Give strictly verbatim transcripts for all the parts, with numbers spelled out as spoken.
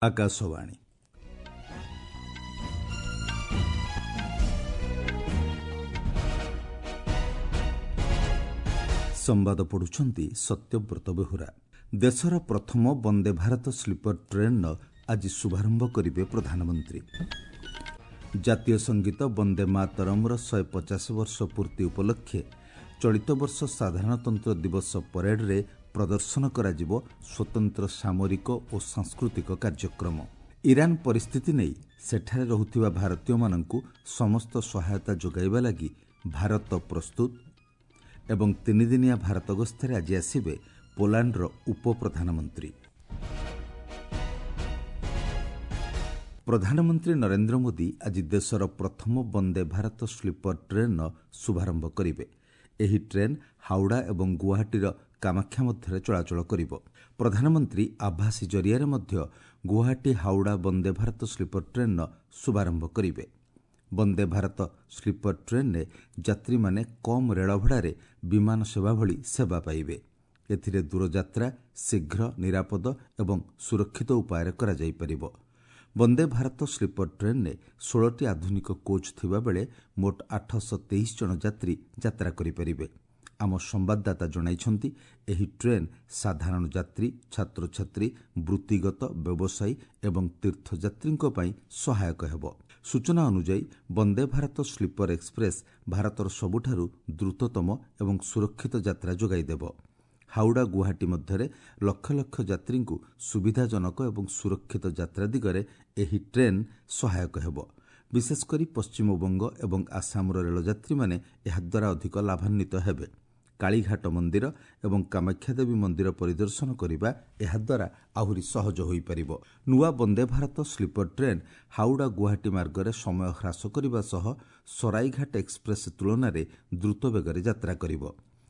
ଆକାଶବାଣୀ। ସମ୍ବାଦ ପଢୁଛନ୍ତି ସତ୍ୟବ୍ରତ ବେହୁରା। ଦେଶର ପ୍ରଥମ ବନ୍ଦେ ଭାରତ ସ୍ଲିପର ଟ୍ରେନ୍ର ଆଜି ଶୁଭାରମ୍ଭ କରିବେ ପ୍ରଧାନମନ୍ତ୍ରୀ। ଜାତୀୟ ସଙ୍ଗୀତ ବନ୍ଦେ ମାତରମ୍ର ଶହେ ପଚାଶ ବର୍ଷ ପୂର୍ତ୍ତି ଉପଲକ୍ଷେ ଚଳିତ ବର୍ଷ ସାଧାରଣତନ୍ତ୍ର ଦିବସ ପରେଡରେ ପ୍ରଦର୍ଶନ କରାଯିବ ସ୍ୱତନ୍ତ୍ର ସାମରିକ ଓ ସାଂସ୍କୃତିକ କାର୍ଯ୍ୟକ୍ରମ। ଇରାନ ପରିସ୍ଥିତି ନେଇ ସେଠାରେ ରହୁଥିବା ଭାରତୀୟମାନଙ୍କୁ ସମସ୍ତ ସହାୟତା ଯୋଗାଇବା ଲାଗି ଭାରତ ପ୍ରସ୍ତୁତ। ଏବଂ ତିନିଦିନିଆ ଭାରତ ଗସ୍ତରେ ଆଜି ଆସିବେ ପୋଲାଣ୍ଡର ଉପପ୍ରଧାନମନ୍ତ୍ରୀ। ପ୍ରଧାନମନ୍ତ୍ରୀ ନରେନ୍ଦ୍ର ମୋଦି ଆଜି ଦେଶର ପ୍ରଥମ ବନ୍ଦେ ଭାରତ ସ୍ଲିପର ଟ୍ରେନ୍ର ଶୁଭାରମ୍ଭ କରିବେ। ଏହି ଟ୍ରେନ୍ ହାଉଡ଼ା ଏବଂ ଗୁଆହାଟୀର କାମାକ୍ଷା ମଧ୍ୟରେ ଚଳାଚଳ କରିବ। ପ୍ରଧାନମନ୍ତ୍ରୀ ଆଭାସୀ ଜରିଆରେ ମଧ୍ୟ ଗୁଆହାଟୀ ହାଉଡ଼ା ବନ୍ଦେ ଭାରତ ସ୍ଲିପର ଟ୍ରେନ୍ର ଶୁଭାରମ୍ଭ କରିବେ। ବନ୍ଦେ ଭାରତ ସ୍ଲିପର ଟ୍ରେନ୍ରେ ଯାତ୍ରୀମାନେ କମ୍ ରେଳଭଡ଼ାରେ ବିମାନ ସେବା ଭଳି ସେବା ପାଇବେ। ଏଥିରେ ଦୂରଯାତ୍ରା ଶୀଘ୍ର, ନିରାପଦ ଏବଂ ସୁରକ୍ଷିତ ଉପାୟରେ କରାଯାଇପାରିବ। ବନ୍ଦେ ଭାରତ ସ୍ଲିପର ଟ୍ରେନ୍ରେ ଷୋହଳଟି ଆଧୁନିକ କୋଚ୍ ଥିବାବେଳେ ମୋଟ ଆଠଶହ ତେଇଶ ଜଣ ଯାତ୍ରୀ ଯାତ୍ରା କରିପାରିବେ। ଆମ ସମ୍ବାଦଦାତା ଜଣାଇଛନ୍ତି, ଏହି ଟ୍ରେନ୍ ସାଧାରଣ ଯାତ୍ରୀ, ଛାତ୍ରଛାତ୍ରୀ, ବୃତ୍ତିଗତ, ବ୍ୟବସାୟୀ ଏବଂ ତୀର୍ଥଯାତ୍ରୀଙ୍କ ପାଇଁ ସହାୟକ ହେବ। ସୂଚନା ଅନୁଯାୟୀ, ବନ୍ଦେ ଭାରତ ସ୍ଲିପର ଏକ୍ସପ୍ରେସ୍ ଭାରତର ସବୁଠାରୁ ଦ୍ରୁତତମ ଏବଂ ସୁରକ୍ଷିତ ଯାତ୍ରା ଯୋଗାଇ ଦେବ। ହାଉଡ଼ା ଗୁଆହାଟୀ ମଧ୍ୟରେ ଲକ୍ଷ ଲକ୍ଷ ଯାତ୍ରୀଙ୍କୁ ସୁବିଧାଜନକ ଏବଂ ସୁରକ୍ଷିତ ଯାତ୍ରା ଦିଗରେ ଏହି ଟ୍ରେନ୍ ସହାୟକ ହେବ। ବିଶେଷକରି ପଶ୍ଚିମବଙ୍ଗ ଏବଂ ଆସାମର ରେଳଯାତ୍ରୀମାନେ ଏହାଦ୍ୱାରା ଅଧିକ ଲାଭାନ୍ୱିତ ହେବେ। କାଳୀଘାଟ ମନ୍ଦିର ଏବଂ କାମାକ୍ଷାଦେବୀ ମନ୍ଦିର ପରିଦର୍ଶନ କରିବା ଏହାଦ୍ୱାରା ଆହୁରି ସହଜ ହୋଇପାରିବ। ନୂଆ ବନ୍ଦେ ଭାରତ ସ୍ଲିପର ଟ୍ରେନ୍ ହାଉଡ଼ା ଗୁଆହାଟୀ ମାର୍ଗରେ ସମୟ ହ୍ରାସ କରିବା ସହ ସରାଇଘାଟ ଏକ୍ସପ୍ରେସ୍ ତୁଳନାରେ ଦ୍ରୁତ ବେଗରେ ଯାତ୍ରା କରିବ।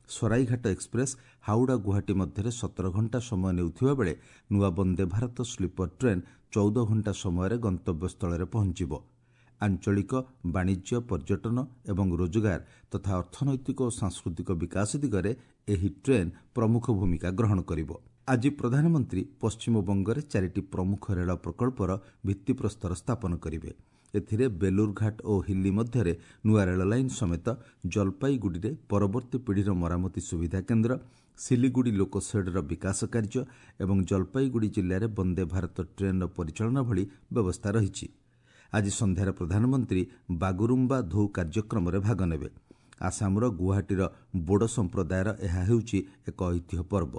ସରାଇଘାଟ ଏକ୍ସପ୍ରେସ୍ ହାଉଡ଼ା ଗୁଆହାଟୀ ମଧ୍ୟରେ ସତର ଘଣ୍ଟା ସମୟ ନେଉଥିବା ବେଳେ ନୂଆ ବନ୍ଦେ ଭାରତ ସ୍ଲିପର ଟ୍ରେନ୍ ଚଉଦ ଘଣ୍ଟା ସମୟରେ ଗନ୍ତବ୍ୟସ୍ଥଳରେ ପହଞ୍ଚିବ। ଆଞ୍ଚଳିକ ବାଣିଜ୍ୟ, ପର୍ଯ୍ୟଟନ ଏବଂ ରୋଜଗାର ତଥା ଅର୍ଥନୈତିକ ଓ ସାଂସ୍କୃତିକ ବିକାଶ ଦିଗରେ ଏହି ଟ୍ରେନ୍ ପ୍ରମୁଖ ଭୂମିକା ଗ୍ରହଣ କରିବ। ଆଜି ପ୍ରଧାନମନ୍ତ୍ରୀ ପଶ୍ଚିମବଙ୍ଗରେ ଚାରିଟି ପ୍ରମୁଖ ରେଳ ପ୍ରକଳ୍ପର ଭିତ୍ତିପ୍ରସ୍ତର ସ୍ଥାପନ କରିବେ। ଏଥିରେ ବେଲୁରଘାଟ ଓ ହିଲ୍ଲୀ ମଧ୍ୟରେ ନୂଆ ରେଳଲାଇନ୍ ସମେତ ଜଲପାଇଗୁଡ଼ିରେ ପରବର୍ତ୍ତୀ ପିଢ଼ିର ମରାମତି ସୁବିଧା କେନ୍ଦ୍ର, ସିଲିଗୁଡ଼ି ଲୋକୋସେଡ୍ର ବିକାଶ କାର୍ଯ୍ୟ ଏବଂ ଜଲପାଇଗୁଡ଼ି ଜିଲ୍ଲାରେ ବନ୍ଦେ ଭାରତ ଟ୍ରେନ୍ର ପରିଚାଳନା ଭଳି ବ୍ୟବସ୍ଥା ରହିଛି। ଆଜି ସନ୍ଧ୍ୟାରେ ପ୍ରଧାନମନ୍ତ୍ରୀ ବାଗୁରୁମ୍ବା ଧୌ କାର୍ଯ୍ୟକ୍ରମରେ ଭାଗ ନେବେ। ଆସାମର ଗୁଆହାଟୀର ବୋଡୋ ସମ୍ପ୍ରଦାୟର ଏହା ହେଉଛି ଏକ ଐତିହ୍ୟ ପର୍ବ।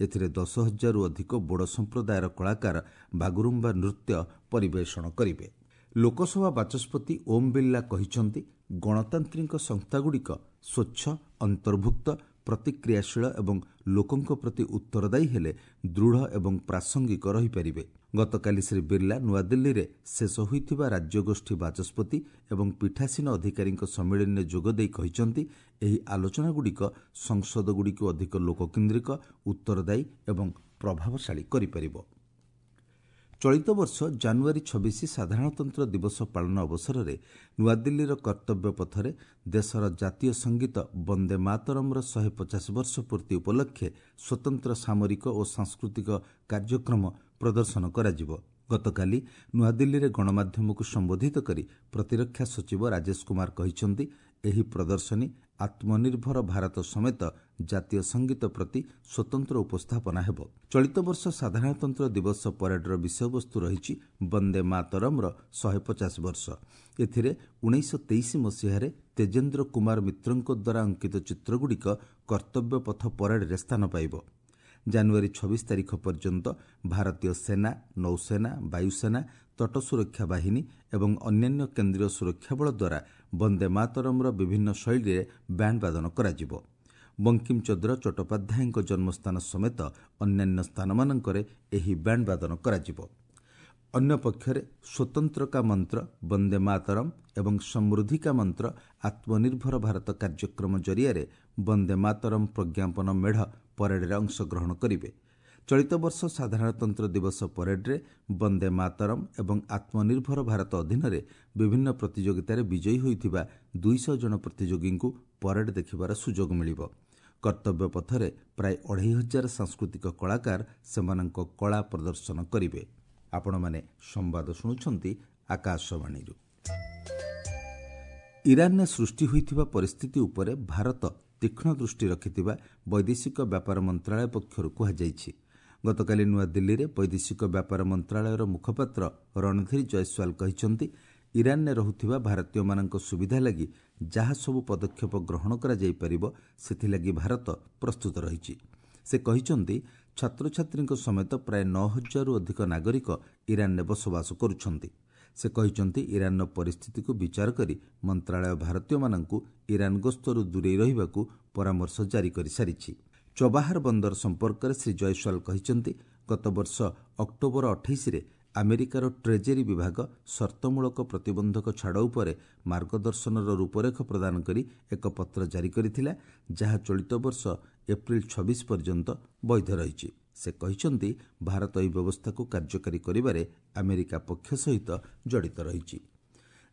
ଏଥିରେ ଦଶ ହଜାରରୁ ଅଧିକ ବୋଡୋ ସମ୍ପ୍ରଦାୟର କଳାକାର ବାଗୁରୁମ୍ବା ନୃତ୍ୟ ପରିବେଷଣ କରିବେ। ଲୋକସଭା ବାଚସ୍ପତି ଓମ୍ ବିର୍ଲା କହିଛନ୍ତି, ଗଣତାନ୍ତ୍ରିକ ସଂସ୍ଥାଗୁଡ଼ିକ ସ୍ୱଚ୍ଛ, ଅନ୍ତର୍ଭୁକ୍ତ, ପ୍ରତିକ୍ରିୟାଶୀଳ ଏବଂ ଲୋକଙ୍କ ପ୍ରତି ଉତ୍ତରଦାୟୀ ହେଲେ ଦୃଢ଼ ଏବଂ ପ୍ରାସଙ୍ଗିକ ରହିପାରିବେ। ଗତକାଲି ଶ୍ରୀ ବିର୍ଲା ନୂଆଦିଲ୍ଲୀରେ ଶେଷ ହୋଇଥିବା ରାଜ୍ୟଗୋଷ୍ଠୀ ବାଚସ୍ପତି ଏବଂ ପୀଠାସୀନ ଅଧିକାରୀଙ୍କ ସମ୍ମିଳନୀରେ ଯୋଗଦେଇ କହିଛନ୍ତି, ଏହି ଆଲୋଚନାଗୁଡ଼ିକ ସଂସଦଗୁଡ଼ିକୁ ଅଧିକ ଲୋକକେନ୍ଦ୍ରିକ, ଉତ୍ତରଦାୟୀ ଏବଂ ପ୍ରଭାବଶାଳୀ କରିପାରିବ। ଚଳିତ ବର୍ଷ ଜାନୁଆରୀ ଛବିଶ ସାଧାରଣତନ୍ତ୍ର ଦିବସ ପାଳନ ଅବସରରେ ନୂଆଦିଲ୍ଲୀର କର୍ତ୍ତବ୍ୟ ପଥରେ ଦେଶର ଜାତୀୟ ସଙ୍ଗୀତ ବନ୍ଦେ ମାତରମ୍ର ଶହେ ପଚାଶ ବର୍ଷ ପୂର୍ତ୍ତି ଉପଲକ୍ଷେ ସ୍ୱତନ୍ତ୍ର ସାମରିକ ଓ ସାଂସ୍କୃତିକ କାର୍ଯ୍ୟକ୍ରମ ପ୍ରଦର୍ଶନ କରାଯିବ। ଗତକାଲି ନୂଆଦିଲ୍ଲୀରେ ଗଣମାଧ୍ୟମକୁ ସମ୍ବୋଧିତ କରି ପ୍ରତିରକ୍ଷା ସଚିବ ରାଜେଶ କୁମାର କହିଛନ୍ତି, ଏହି ପ୍ରଦର୍ଶନୀ ଆତ୍ମନିର୍ଭର ଭାରତ ସମେତ ଜାତୀୟ ସଙ୍ଗୀତ ପ୍ରତି ସ୍ୱତନ୍ତ୍ର ଉପସ୍ଥାପନା ହେବ। ଚଳିତ ବର୍ଷ ସାଧାରଣତନ୍ତ୍ର ଦିବସ ପରେଡର ବିଷୟବସ୍ତୁ ରହିଛି ବନ୍ଦେ ମାତରମ୍ର ଶହେ ପଚାଶ ବର୍ଷ। ଏଥିରେ ଉଣେଇଶହ ତେଇଶ ମସିହାରେ ତେଜେନ୍ଦ୍ର କୁମାର ମିତ୍ରଙ୍କ ଦ୍ୱାରା ଅଙ୍କିତ ଚିତ୍ରଗୁଡ଼ିକ କର୍ତ୍ତବ୍ୟ ପଥ ପରେଡରେ ସ୍ଥାନ ପାଇବ। ଜାନୁଆରୀ ଛବିଶ ତାରିଖ ପର୍ଯ୍ୟନ୍ତ ଭାରତୀୟ ସେନା, ନୌସେନା, ବାୟୁସେନା, ତଟ ସୁରକ୍ଷା ବାହିନୀ ଏବଂ ଅନ୍ୟାନ୍ୟ କେନ୍ଦ୍ରୀୟ ସୁରକ୍ଷା ବଳ ଦ୍ୱାରା ବନ୍ଦେ ମାତରମ୍ର ବିଭିନ୍ନ ଶୈଳୀରେ ବ୍ୟାଣ୍ଡ ବାଦନ କରାଯିବ। ବଙ୍କିମଚନ୍ଦ୍ର ଚଟ୍ଟୋପାଧ୍ୟାୟଙ୍କ ଜନ୍ମସ୍ଥାନ ସମେତ ଅନ୍ୟାନ୍ୟ ସ୍ଥାନମାନଙ୍କରେ ଏହି ବ୍ୟାଣ୍ଡ ବାଦନ କରାଯିବ। ଅନ୍ୟପକ୍ଷରେ ସ୍ୱତନ୍ତ୍ରକା ମନ୍ତ୍ର ବନ୍ଦେ ମାତରମ୍ ଏବଂ ସମୃଦ୍ଧିକା ମନ୍ତ୍ର ଆତ୍ମନିର୍ଭର ଭାରତ କାର୍ଯ୍ୟକ୍ରମ ଜରିଆରେ ବନ୍ଦେ ମାତରମ୍ ପ୍ରଜ୍ଞାପନ ମେଢ଼ ପରେଡରେ ଅଂଶଗ୍ରହଣ କରିବେ। ଚଳିତ ବର୍ଷ ସାଧାରଣତନ୍ତ୍ର ଦିବସ ପରେଡରେ ବନ୍ଦେ ମାତରମ୍ ଏବଂ ଆତ୍ମନିର୍ଭର ଭାରତ ଅଧୀନରେ ବିଭିନ୍ନ ପ୍ରତିଯୋଗିତାରେ ବିଜୟୀ ହୋଇଥିବା ଦୁଇଶହ ଜଣ ପ୍ରତିଯୋଗୀଙ୍କୁ ପରେଡ୍ ଦେଖିବାର ସୁଯୋଗ ମିଳିବ। କର୍ତ୍ତବ୍ୟ ପଥରେ ପ୍ରାୟ ଅଢ଼େଇ ହଜାର ସାଂସ୍କୃତିକ କଳାକାର ସେମାନଙ୍କ କଳା ପ୍ରଦର୍ଶନ କରିବେ। ଆପଣମାନେ ସମ୍ବାଦ ଶୁଣୁଛନ୍ତି ଆକାଶବାଣୀରୁ। ଇରାନରେ ସୃଷ୍ଟି ହୋଇଥିବା ପରିସ୍ଥିତି ଉପରେ ଭାରତ ତୀକ୍ଷ୍ଣ ଦୃଷ୍ଟି ରଖିଥିବା ବୈଦେଶିକ ବ୍ୟାପାର ମନ୍ତ୍ରଣାଳୟ ପକ୍ଷରୁ କୁହାଯାଇଛି। ଗତକାଲି ନୂଆଦିଲ୍ଲୀରେ ବୈଦେଶିକ ବ୍ୟାପାର ମନ୍ତ୍ରଣାଳୟର ମୁଖପାତ୍ର ରଣଧୀର ଜୟସ୍ୱାଲ କହିଛନ୍ତି, ଇରାନରେ ରହୁଥିବା ଭାରତୀୟମାନଙ୍କ ସୁବିଧା ଲାଗି ଯାହା ସବୁ ପଦକ୍ଷେପ ଗ୍ରହଣ କରାଯାଇପାରିବ ସେଥିଲାଗି ଭାରତ ପ୍ରସ୍ତୁତ ରହିଛି। ସେ କହିଛନ୍ତି, ଛାତ୍ରଛାତ୍ରୀଙ୍କ ସମେତ ପ୍ରାୟ ନଅ ହଜାରରୁ ଅଧିକ ନାଗରିକ ଇରାନରେ ବସବାସ କରୁଛନ୍ତି। ସେ କହିଛନ୍ତି, ଇରାନର ପରିସ୍ଥିତିକୁ ବିଚାର କରି ମନ୍ତ୍ରଣାଳୟ ଭାରତୀୟମାନଙ୍କୁ ଇରାନ ଗସ୍ତରୁ ଦୂରେଇ ରହିବାକୁ ପରାମର୍ଶ ଜାରି କରିସାରିଛି। ଚବାହାର ବନ୍ଦର ସମ୍ପର୍କରେ ଶ୍ରୀ ଜୟସ୍ୱାଲ କହିଛନ୍ତି, ଗତବର୍ଷ ଅକ୍ଟୋବର ଅଠେଇଶରେ ଆମେରିକାର ଟ୍ରେଜେରୀ ବିଭାଗ ସର୍ତ୍ତମୂଳକ ପ୍ରତିବନ୍ଧକ ଛାଡ଼ ଉପରେ ମାର୍ଗଦର୍ଶନର ରୂପରେଖ ପ୍ରଦାନ କରି ଏକ ପତ୍ର ଜାରି କରିଥିଲା, ଯାହା ଚଳିତ ବର୍ଷ ଏପ୍ରିଲ ଛବିଶ ପର୍ଯ୍ୟନ୍ତ ବୈଧ ରହିଛି। ସେ କହିଛନ୍ତି, ଭାରତ ଏହି ବ୍ୟବସ୍ଥାକୁ କାର୍ଯ୍ୟକାରୀ କରିବାରେ ଆମେରିକା ପକ୍ଷ ସହିତ ଜଡ଼ିତ ରହିଛି।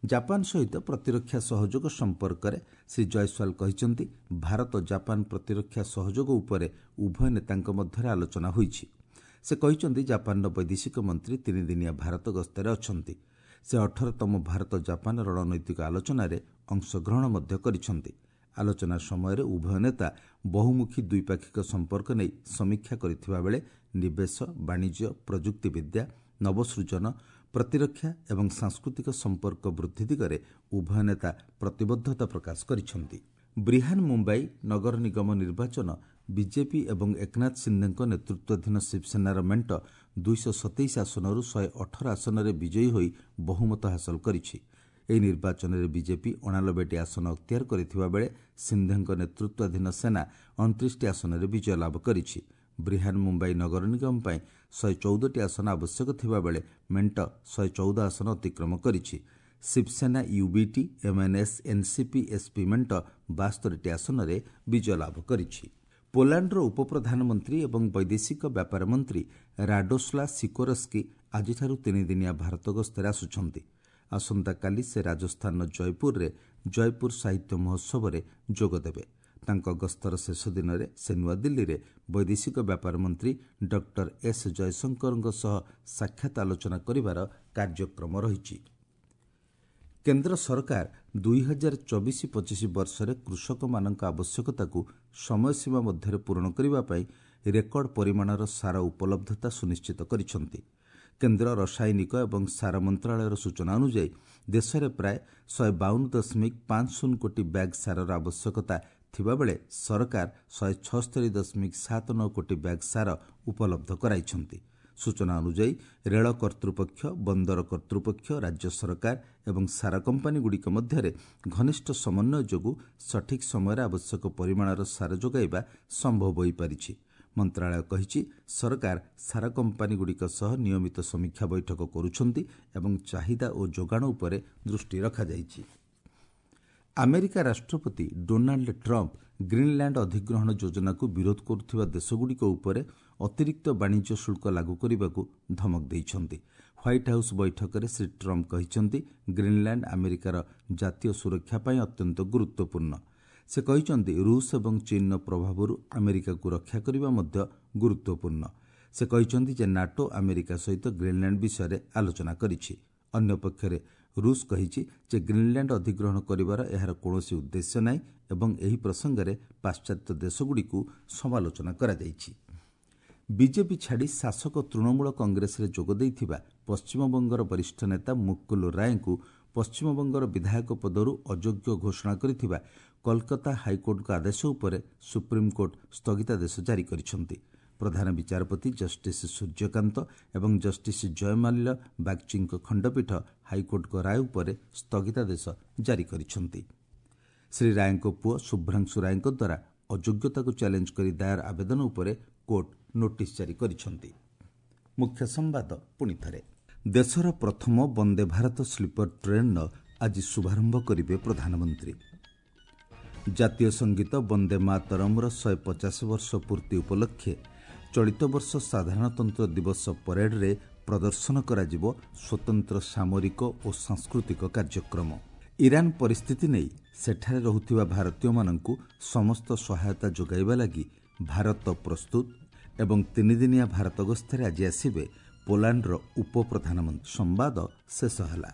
ଜାପାନ ସହିତ ପ୍ରତିରକ୍ଷା ସହଯୋଗ ସମ୍ପର୍କରେ ଶ୍ରୀ ଜୟସ୍ୱାଲ କହିଛନ୍ତି, ଭାରତ ଜାପାନ ପ୍ରତିରକ୍ଷା ସହଯୋଗ ଉପରେ ଉଭୟ ନେତାଙ୍କ ମଧ୍ୟରେ ଆଲୋଚନା ହୋଇଛି। ସେ କହିଛନ୍ତି, ଜାପାନର ବୈଦେଶିକ ମନ୍ତ୍ରୀ ତିନିଦିନିଆ ଭାରତ ଗସ୍ତରେ ଅଛନ୍ତି। ସେ ଅଠରତମ ଭାରତ ଜାପାନ ରଣନୈତିକ ଆଲୋଚନାରେ ଅଂଶଗ୍ରହଣ ମଧ୍ୟ କରିଛନ୍ତି। ଆଲୋଚନା ସମୟରେ ଉଭୟ ନେତା ବହୁମୁଖୀ ଦ୍ୱିପାକ୍ଷିକ ସମ୍ପର୍କ ନେଇ ସମୀକ୍ଷା କରିଥିବା ବେଳେ ନିବେଶ, ବାଣିଜ୍ୟ, ପ୍ରଯୁକ୍ତିବିଦ୍ୟା, ନବସୃଜନ, ପ୍ରତିରକ୍ଷା ଏବଂ ସାଂସ୍କୃତିକ ସମ୍ପର୍କ ବୃଦ୍ଧି ଦିଗରେ ଉଭୟ ନେତା ପ୍ରତିବଦ୍ଧତା ପ୍ରକାଶ କରିଛନ୍ତି। ବ୍ରିହାନ ମୁମ୍ବାଇ ନଗର ନିଗମ ନିର୍ବାଚନ ବିଜେପି ଏବଂ ଏକନାଥ ସିନ୍ଦେଙ୍କ ନେତୃତ୍ୱାଧୀନ ଶିବସେନାର ମେଣ୍ଟ ଦୁଇଶହ ସତେଇଶ ଆସନରୁ ଶହେ ଅଠର ଆସନରେ ବିଜୟୀ ହୋଇ ବହୁମତ ହାସଲ କରିଛି। ଏହି ନିର୍ବାଚନରେ ବିଜେପି ଅଣାନବେଟି ଆସନ ଅକ୍ତିଆର କରିଥିବା ବେଳେ ସିନ୍ଦେଙ୍କ ନେତୃତ୍ୱାଧୀନ ସେନା ଅଣତିରିଶଟି ଆସନରେ ବିଜୟ ଲାଭ କରିଛି। ବ୍ରିହାନ ମୁମ୍ବାଇ ନଗର ନିଗମ ପାଇଁ ଶହେ ଚଉଦଟି ଆସନ ଆବଶ୍ୟକ ଥିବାବେଳେ ମେଣ୍ଟ ଶହେ ଚଉଦ ଆସନ ଅତିକ୍ରମ କରିଛି। Shiv Sena UBT, MNS, NCP, SP ମେଣ୍ଟ ବାସ୍ତରିଟି ଆସନରେ ବିଜୟ ଲାଭ କରିଛି। ପୋଲାଣ୍ଡର ଉପପ୍ରଧାନମନ୍ତ୍ରୀ ଏବଂ ବୈଦେଶିକ ବ୍ୟାପାର ମନ୍ତ୍ରୀ ରାଡୋସ୍ଲା ସିକୋରସ୍କି ଆଜିଠାରୁ ତିନିଦିନିଆ ଭାରତ ଗସ୍ତରେ ଆସୁଛନ୍ତି। ଆସନ୍ତାକାଲି ସେ ରାଜସ୍ଥାନର ଜୟପୁରରେ ଜୟପୁର ସାହିତ୍ୟ ମହୋତ୍ସବରେ ଯୋଗଦେବେ। ତାଙ୍କ ଗସ୍ତର ଶେଷ ଦିନରେ ସେ ନୂଆଦିଲ୍ଲୀରେ ବୈଦେଶିକ ବ୍ୟାପାର ମନ୍ତ୍ରୀ ଡକ୍ଟର ଏସ୍ ଜୟଶଙ୍କରଙ୍କ ସହ ସାକ୍ଷାତ ଆଲୋଚନା କରିବାର କାର୍ଯ୍ୟକ୍ରମ ରହିଛି। କେନ୍ଦ୍ର ସରକାର ଦୁଇ ହଜାର ଚବିଶ ପଚିଶ ବର୍ଷରେ କୃଷକମାନଙ୍କ ଆବଶ୍ୟକତାକୁ ସମୟସୀମା ମଧ୍ୟରେ ପୂରଣ କରିବା ପାଇଁ ରେକର୍ଡ ପରିମାଣର ସାର ଉପଲବ୍ଧତା ସୁନିଶ୍ଚିତ କରିଛନ୍ତି। କେନ୍ଦ୍ର ରସାୟନିକ ଏବଂ ସାର ମନ୍ତ୍ରଣାଳୟର ସୂଚନା ଅନୁଯାୟୀ ଦେଶରେ ପ୍ରାୟ ଶହେ ବାଉନ ଦଶମିକ ପାଞ୍ଚ ଶୂନ କୋଟି ବ୍ୟାଗ୍ ସାରର ଆବଶ୍ୟକତା ଥିବାବେଳେ ସରକାର ଶହେ ଛଅସ୍ତରୀ ଦଶମିକ ସାତ ନଅ କୋଟି ବ୍ୟାଗ୍ ସାର ଉପଲବ୍ଧ କରାଇଛନ୍ତି। ସୂଚନା ଅନୁଯାୟୀ ରେଳ କର୍ତ୍ତୃପକ୍ଷ, ବନ୍ଦର କର୍ତ୍ତୃପକ୍ଷ, ରାଜ୍ୟ ସରକାର ଏବଂ ସାର କମ୍ପାନୀଗୁଡ଼ିକ ମଧ୍ୟରେ ଘନିଷ୍ଠ ସମନ୍ୱୟ ଯୋଗୁଁ ସଠିକ୍ ସମୟରେ ଆବଶ୍ୟକ ପରିମାଣର ସାର ଯୋଗାଇବା ସମ୍ଭବ ହୋଇପାରିଛି। ମନ୍ତ୍ରଣାଳୟ କହିଛି, ସରକାର ସାର କମ୍ପାନୀଗୁଡ଼ିକ ସହ ନିୟମିତ ସମୀକ୍ଷା ବୈଠକ କରୁଛନ୍ତି ଏବଂ ଚାହିଦା ଓ ଯୋଗାଣ ଉପରେ ଦୃଷ୍ଟି ରଖାଯାଇଛି। ଆମେରିକା ରାଷ୍ଟ୍ରପତି ଡୋନାଲ୍ଡ ଟ୍ରମ୍ପ ଗ୍ରୀନଲ୍ୟାଣ୍ଡ ଅଧିଗ୍ରହଣ ଯୋଜନାକୁ ବିରୋଧ କରୁଥିବା ଦେଶଗୁଡ଼ିକ ଉପରେ ଅତିରିକ୍ତ ବାଣିଜ୍ୟ ଶୁଳ୍କ ଲାଗୁ କରିବାକୁ ଧମକ ଦେଇଛନ୍ତି। ହ୍ୱାଇଟ୍ ହାଉସ୍ ବୈଠକରେ ଶ୍ରୀ ଟ୍ରମ୍ପ କହିଛନ୍ତି, ଗ୍ରୀନଲ୍ୟାଣ୍ଡ ଆମେରିକାର ଜାତୀୟ ସୁରକ୍ଷା ପାଇଁ ଅତ୍ୟନ୍ତ ଗୁରୁତ୍ୱପୂର୍ଣ୍ଣ। ସେ କହିଛନ୍ତି, ରୁଷ ଏବଂ ଚୀନର ପ୍ରଭାବରୁ ଆମେରିକାକୁ ରକ୍ଷା କରିବା ମଧ୍ୟ ଗୁରୁତ୍ୱପୂର୍ଣ୍ଣ। ସେ କହିଛନ୍ତି ଯେ ନାଟୋ ଆମେରିକା ସହିତ ଗ୍ରୀନଲ୍ୟାଣ୍ଡ ବିଷୟରେ ଆଲୋଚନା କରିଛି। ଅନ୍ୟପକ୍ଷରେ ରୁଷ କହିଛି ଯେ ଗ୍ରୀନଲ୍ୟାଣ୍ଡ ଅଧିଗ୍ରହଣ କରିବାର ଏହାର କୌଣସି ଉଦ୍ଦେଶ୍ୟ ନାହିଁ ଏବଂ ଏହି ପ୍ରସଙ୍ଗରେ ପାଶ୍ଚାତ୍ୟ ଦେଶଗୁଡ଼ିକୁ ସମାଲୋଚନା କରାଯାଇଛି। ବିଜେପି ଛାଡ଼ି ଶାସକ ତୃଣମୂଳ କଂଗ୍ରେସରେ ଯୋଗ ଦେଇଥିବା ପଶ୍ଚିମବଙ୍ଗର ବରିଷ୍ଠ ନେତା ମୁକୁଲ ରାୟଙ୍କୁ ପଶ୍ଚିମବଙ୍ଗର ବିଧାୟକ ପଦରୁ ଅଯୋଗ୍ୟ ଘୋଷଣା କରିଥିବା କଲକାତା ହାଇକୋର୍ଟଙ୍କ ଆଦେଶ ଉପରେ ସୁପ୍ରିମକୋର୍ଟ ସ୍ଥଗିତାଦେଶ ଜାରି କରିଛନ୍ତି। ପ୍ରଧାନ ବିଚାରପତି ଜଷ୍ଟିସ୍ ସୂର୍ଯ୍ୟକାନ୍ତ ଏବଂ ଜଷ୍ଟିସ୍ ଜୟମାଲ୍ୟ ବାଗ୍ଚୀଙ୍କ ଖଣ୍ଡପୀଠ ହାଇକୋର୍ଟଙ୍କ ରାୟ ଉପରେ ସ୍ଥଗିତାଦେଶ ଜାରି କରିଛନ୍ତି। ଶ୍ରୀ ରାୟଙ୍କ ପୁଅ ଶୁଭ୍ରାଂଶୁ ରାୟଙ୍କ ଦ୍ୱାରା ଅଯୋଗ୍ୟତାକୁ ଚ୍ୟାଲେଞ୍ଜ କରି ଦାୟର ଆବେଦନ ଉପରେ କୋର୍ଟ ନୋଟିସ୍ ଜାରି କରିଛନ୍ତି। ମୁଖ୍ୟ ସମ୍ବାଦ ପୁଣିଥରେ, ଦେଶର ପ୍ରଥମ ବନ୍ଦେ ଭାରତ ସ୍ଲିପର ଟ୍ରେନ୍ର ଆଜି ଶୁଭାରମ୍ଭ କରିବେ ପ୍ରଧାନମନ୍ତ୍ରୀ। ଜାତୀୟ ସଙ୍ଗୀତ ବନ୍ଦେ ମାତରମ୍ର ଶହେ ପଚାଶ ବର୍ଷ ପୂର୍ତ୍ତି ଉପଲକ୍ଷେ ଚଳିତ ବର୍ଷ ସାଧାରଣତନ୍ତ୍ର ଦିବସ ପରେଡରେ ପ୍ରଦର୍ଶନ କରାଯିବ ସ୍ୱତନ୍ତ୍ର ସାମରିକ ଓ ସାଂସ୍କୃତିକ କାର୍ଯ୍ୟକ୍ରମ। ଇରାନ ପରିସ୍ଥିତି ନେଇ ସେଠାରେ ରହୁଥିବା ଭାରତୀୟମାନଙ୍କୁ ସମସ୍ତ ସହାୟତା ଯୋଗାଇବା ଲାଗି ଭାରତ ପ୍ରସ୍ତୁତ ଏବଂ ତିନିଦିନିଆ ଭାରତ ଗସ୍ତରେ ଆଜି ଆସିବେ ପୋଲାଣ୍ଡର ଉପପ୍ରଧାନମନ୍ତ୍ରୀ। ସମ୍ବାଦ ଶେଷ ହେଲା।